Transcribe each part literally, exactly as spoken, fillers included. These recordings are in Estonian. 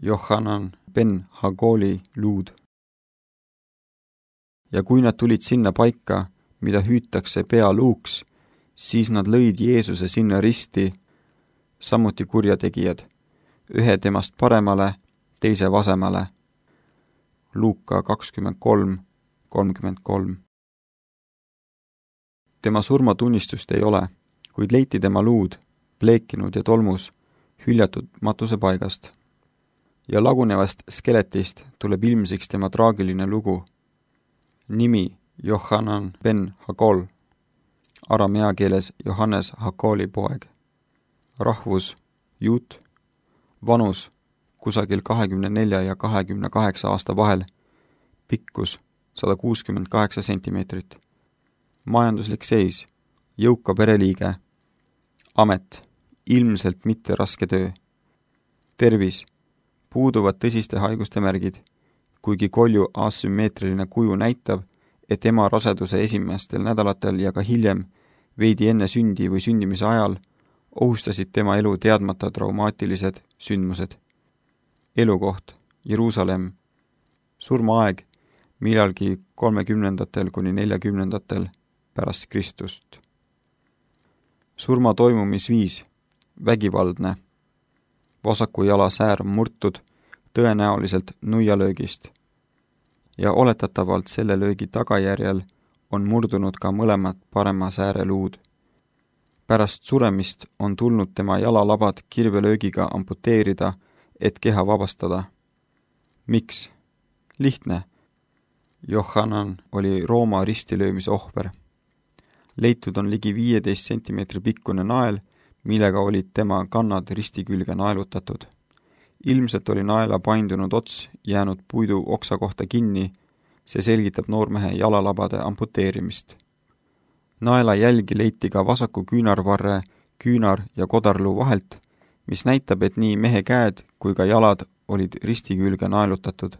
Johanan ben Hagoli luud. Ja kui nad tulid sinna paika, mida hüütakse pealuuks, siis nad lõid Jeesuse sinna risti, samuti kurjategijad, ühe temast paremale, teise vasemale. Luuka kakskümmend kolm kolmkümmend kolm. Tema surmatunnistust ei ole, kuid leiti tema luud, pleekinud ja tolmus, hüljatud matusepaigast. Ja lagunevast skeletist tuleb ilmsiks tema traagiline lugu. Nimi Johanan ben Hagol, aramea keeles Johannes Hagoli poeg. Rahvus juut, vanus kusagil kahekümne nelja ja kahekümne kaheksa aasta vahel, pikkus sada kuuskümmend kaheksa sentimeetrit. Majanduslik seis, jõuka pereliige, amet, ilmselt mitte raske töö. Tervis, puuduvad tõsiste haiguste märgid, kuigi kolju asümmeetriline kuju näitab, et ema raseduse esimestel nädalatel ja ka hiljem, veidi enne sündi või sündimise ajal, ohustasid tema elu teadmata traumaatilised sündmused. Elukoht, Jeruusalemm, surmaaeg, millalgi kolmekümnendatel kuni neljakümnendatel pärast Kristust. Surma toimumisviis, vägivaldne. Vasaku jala säär on murtud, tõenäoliselt nuialöögist. Ja oletatavalt selle löögi tagajärjel on murdunud ka mõlemad parema sääre luud. Pärast suremist on tulnud tema jalalabad kirvelöögiga amputeerida, et keha vabastada. Miks? Lihtne. Johanan oli Rooma ristilöömise ohver. Leitud on ligi viieteist sentimeetri pikkune nael, millega olid tema kannad risti külge naelutatud. Ilmselt oli naela paindunud ots jäänud puidu oksa kohta kinni, see selgitab noormehe jalalabade amputeerimist. Naela jälgi leiti ka vasaku küünarvarre, küünar- ja kodarluu vahelt, mis näitab, et nii mehe käed kui ka jalad olid risti külge naelutatud.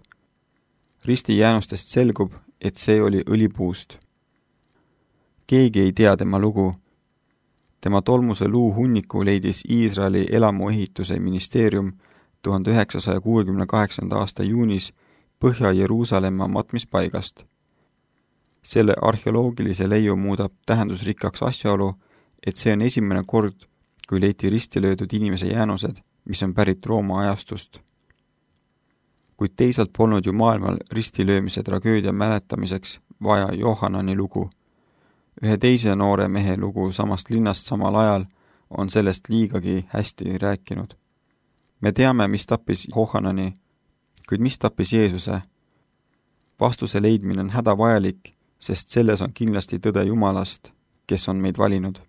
Risti jäänustest selgub, et see oli õlipuust. Keegi ei tea tema lugu. Tema tolmuse luu hunniku leidis Iisraeli elamuehituse ministeerium tuhande üheksasaja kuuekümne kaheksanda aasta juunis Põhja-Jeruusalemma matmispaigast. Selle arheoloogilise leiu muudab tähendusrikkaks asjaolu, et see on esimene kord, kui leiti risti löödud inimese jäänused, mis on pärit Rooma ajastust. Kuid teisalt polnud ju maailmal ristilöömise tragöödia mäletamiseks vaja Johanani lugu. Ühe teise noore mehe lugu samast linnast samal ajal on sellest liigagi hästi rääkinud. Me teame, mis tappis Johanani, kuid mis tappis Jeesuse? Vastuse leidmine on hädavajalik, sest selles on kindlasti tõde Jumalast, kes on meid valinud.